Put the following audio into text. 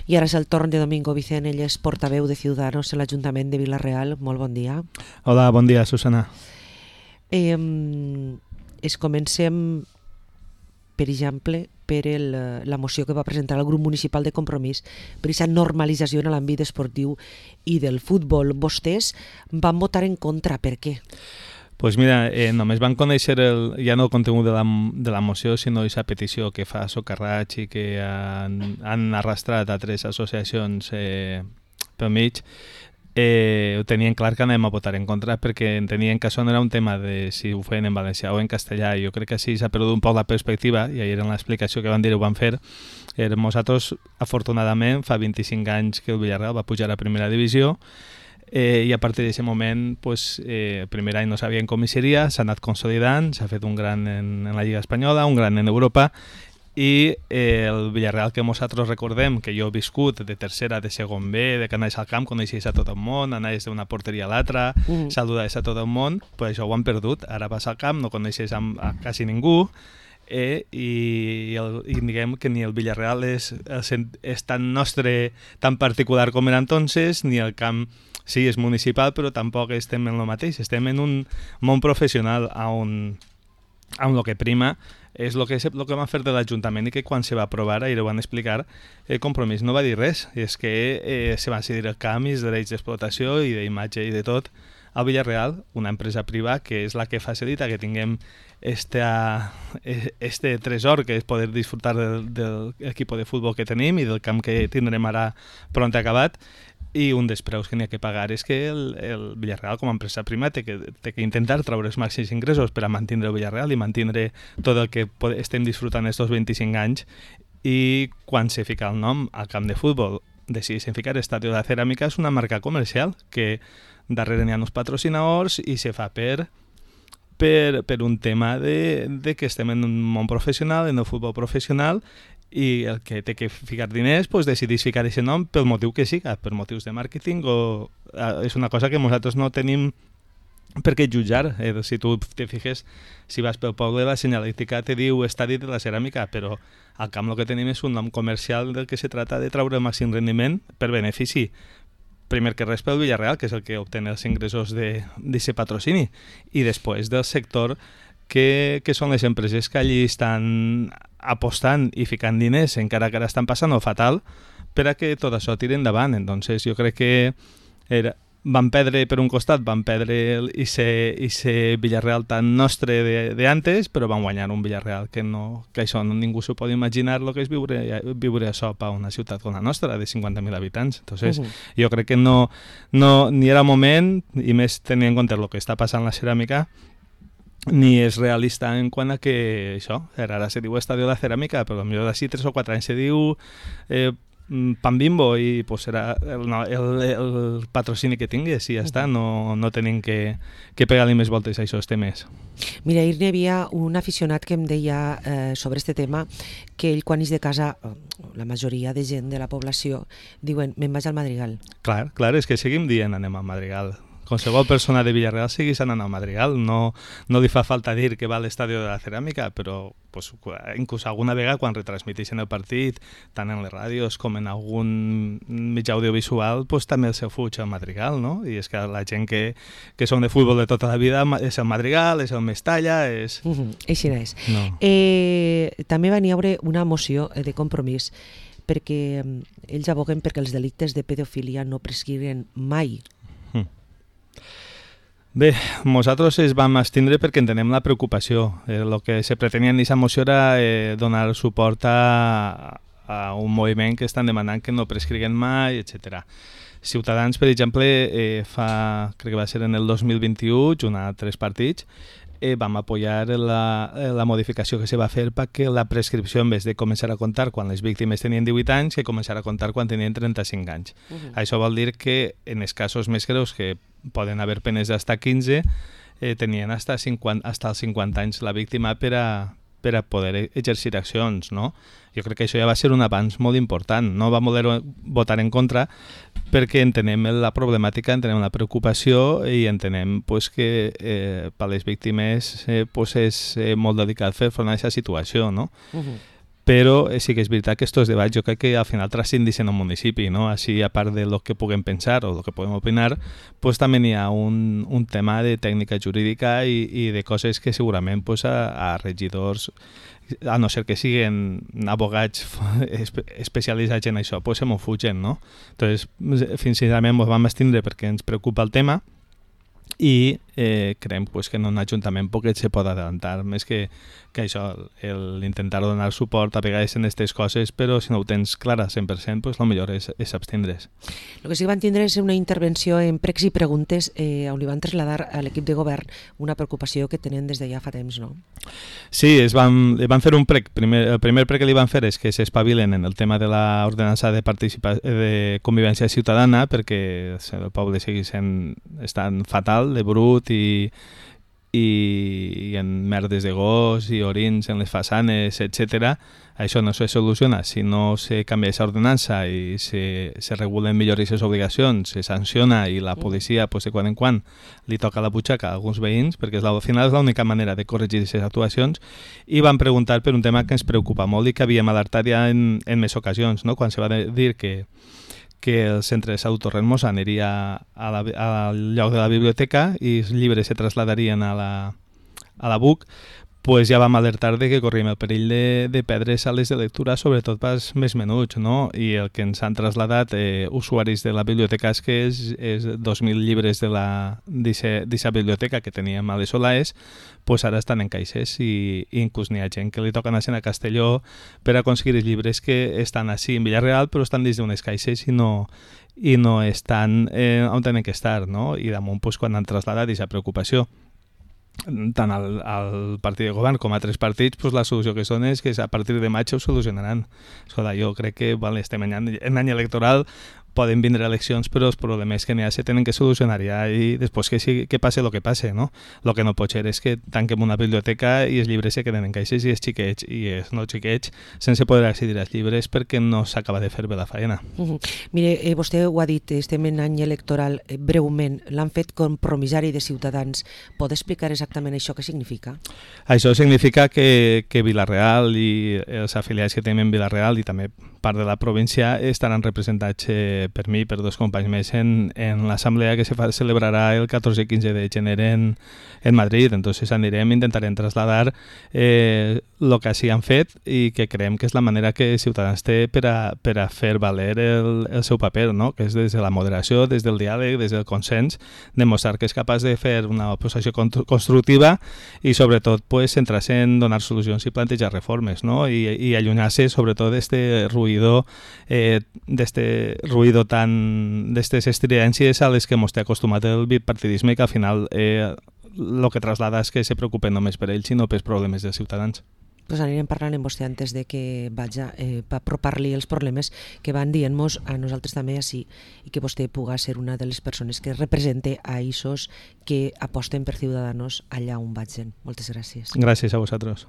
I ara és el torn de Domingo Vicent, ell és portaveu de Ciudadanos en l'Ajuntament de Vila-real. Molt bon dia. Hola, bon dia, Susana. Comencem, per exemple, per la moció que va presentar el grup municipal de Compromís per aquesta normalització en l'àmbit esportiu i del futbol. Vostès van votar en contra, per què? Pues mira, només van conèixer ja no el contingut de la moció, sinó aquesta petició que fa Socarrats i que han arrastrat a 3 associacions pel mig. Ho tenien clar que anem a votar en contra perquè entenien que això no era un tema de si ho feien en valencià o en castellà. Jo crec que així s'ha perdut un poc la perspectiva i ahir en l'explicació que van dir ho van fer. Nosaltres, afortunadament, fa 25 anys que el Villarreal va pujar a primera divisió i a partir d'aquest moment, el primer any no sabien com hi seria, s'ha anat consolidant, s'ha fet un gran en la Lliga Espanyola, un gran en Europa, i el Villarreal que nosaltres recordem, que jo he viscut de tercera, de segon B, de que anaves al camp, coneixies a tot el món, anaves d'una porteria a l'altra, saludaves a tot el món, pues això ho han perdut. Ara vas al camp, no coneixes a quasi ningú, i diguem que ni el Villarreal és tan nostre, tan particular com era entonces, ni el camp sí és municipal, però tampoc estem en el mateix. Estem en un món professional on el que prima és el que van fer de l'Ajuntament i que quan se va aprovar, ahir ho van explicar, el Compromís no va dir res. I és que se van decidir els canvis, drets d'explotació i d'imatge i de tot al Villarreal, una empresa privada que és la que facilita que tinguem este tresor que és poder disfrutar del equip de futbol que tenim i del camp que tindrem ara pront acabat. I un dels preus que n'hi ha que pagar és que el Villarreal com a empresa prima té que intentar treure els màxims ingressos per a mantenir el Villarreal i mantenir tot el que estem disfrutant estos 25 anys. I quan se fica el nom al camp de futbol decideixen ficar Estadio de Ceràmica, és una marca comercial que darrere n'hi ha uns patrocinadors i se fa per un tema de que estem en un món professional, en el futbol professional, i el que té que ficar diners decideix ficar aquest nom pel motiu que siga, per motius de màrqueting, o és una cosa que nosaltres no tenim per què jutjar. Si tu te fiques, si vas pel poble, la senyalística te diu Estadi de la Ceràmica, però al camp el que tenim és un nom comercial del que se trata de treure el màxim rendiment per benefici, primer que res pel Villarreal, que és el que obté els ingressos d'aquest patrocini, i després del sector que són les empreses que allí estan apostant i ficant diners, encara que ara estan passant fatal, per a que tot això tiri endavant. Entonces, jo crec que van perdre, per un costat, van perdre ese Villarreal tan nostre d'antes, però van guanyar un Villarreal que això ningú s'ho pot imaginar el que és viure això a una ciutat com la nostra, de 50.000 habitants. Entonces, jo crec que no ni era moment, i més tenint en compte el que està passant a la ceràmica, ni és realista en quant a que això, ara se diu Estadio de Ceràmica, però potser d'ací 3 o 4 anys se diu Pan Bimbo i serà el patrocini que tingués i ja està, no tenim que pegar-li més voltes a aquests temes. Mira, ahir n'hi havia un aficionat que em deia sobre este tema que ell quan és de casa, la majoria de gent de la població diuen, me'n vaig al Madrigal. Clar, és que seguim dient anem al Madrigal. Qualsevol persona de Villarreal seguís anant al Madrigal, no li fa falta dir que va a l'Estadio de la Ceràmica, però inclús alguna vegada quan retransmiteixen el partit, tant en les ràdios com en algun mitjà audiovisual, també el seu fuig al Madrigal, no? I és que la gent que són de futbol de tota la vida és el Madrigal, és el Mestalla, és... Així no és. No. També va n'hi haver una moció de Compromís perquè ells aboguen perquè els delictes de pedofilia no prescriguen mai. Bé, nosaltres es vam abstindre perquè entenem la preocupació. El que se pretenia en aquesta moció era donar suport a un moviment que estan demanant que no prescriguen mai, etc. Ciutadans, per exemple, crec que va ser en el 2021, junt a 3 partits, vam apoyar la modificació que se va fer perquè la prescripció, en vez de començar a comptar quan les víctimes tenien 18 anys, que començar a comptar quan tenien 35 anys. Això vol dir que en els casos més greus, que poden haver penes d'hasta 15, tenien hasta els 50 anys la víctima per a poder exercir accions, no? Jo crec que això ja va ser un avanç molt important. No vam voler votar en contra perquè entenem la problemàtica, entenem la preocupació i entenem que per a les víctimes és molt delicat fer front a aquesta situació, no? però sí que és veritat que estos debats jo crec que al final transcendeixen un municipi, no? Així, a part de lo que puguem pensar o lo que puguem opinar, pues també hi ha un tema de tècnica jurídica i de coses que segurament pues, a regidors, a no ser que siguin abogats especialitzats en això, pues se m'ho fugen, no? Entonces, sincerament, ens vam abstindre perquè ens preocupa el tema i creiem pues, que en un ajuntament poquet se pot adelantar, més que això, l'intentar donar suport a vegades en aquestes coses, però si no ho tens clara 100%, pues, el millor és abstindre's. El que sí que van tindre és una intervenció en pregs i preguntes on li van traslladar a l'equip de govern una preocupació que tenen des de ja fa temps, no? Sí, van fer un prec. El primer prec que li van fer és que s'espavilen en el tema de l'ordenança de convivència ciutadana, perquè el poble segueix estant fatal, de brut i en merdes de gos i orins en les façanes, etc. Això no se soluciona si no se canvia aquesta ordenança i se regulen millor aquestes obligacions, se sanciona i la policia pues, de quan en quan li toca la butxaca a alguns veïns, perquè al final és l'única manera de corregir aquestes actuacions, i van preguntar per un tema que ens preocupa molt i que havíem alertat ja en més ocasions, no? Quan se va dir que el centre de salut Torrent Mossa aniria al lloc de la biblioteca i els llibres se traslladarien a la BUC, pues ja vam alertar de que corríem el perill de perdre sales de lectura, sobretot pels més menuts, no? I el que ens han traslladat usuaris de la biblioteca és que és 2.000 llibres d'aquesta biblioteca que teníem a les Solaes, pues ara estan en caixes i inclús n'hi ha gent que li toca anar a Castelló per aconseguir els llibres que estan així en Villarreal però estan dins d'unes caixes i no estan on tenen que estar, no? I damunt pues, quan han traslladat aquesta preocupació tant al partit de govern com a altres partits, pues la solució que són és que a partir de maig ho solucionaran. Escolta, jo crec que estem en any electoral, poden vindre eleccions, però els problemes que n'hi ha se tenen que solucionar ja i després que passe el que passe, no? El que no pot ser és que tanquem una biblioteca i els llibres se queden en caixes i els xiquets i els no xiquets sense poder accedir als llibres perquè no s'acaba de fer bé la feina. Mire, vostè ho ha dit, estem en any electoral, breument, l'han fet compromissari de Ciutadans. Pot explicar exactament això què significa? Això significa que Vila-real i els afiliats que tenim en Vila-real i també part de la província estaran representats per mi i per dos companys més en l'assemblea que se celebrarà el 14 i 15 de gener en Madrid. Entonces intentarem traslladar el que així han fet i que creiem que és la manera que Ciutadans té per a fer valer el seu paper, no? Que és des de la moderació, des del diàleg, des del consens, demostrar que és capaç de fer una oposició constructiva i sobretot pues, centrar-se en donar solucions i plantejar reformes, no? I allunyar-se sobretot d'este ruïdo d'estes estridències a les que ens té acostumat el bipartidisme, que al final el que traslada és que se preocupen només per ells i no pels problemes dels ciutadans. Pues anirem parlant amb vostè antes de que vaja per apropar-li els problemes que van dient-nos a nosaltres també així i que vostè puga ser una de les persones que represente a aquests que aposten per Ciudadanos allà on vagin. Moltes gràcies. Gràcies a vosaltres.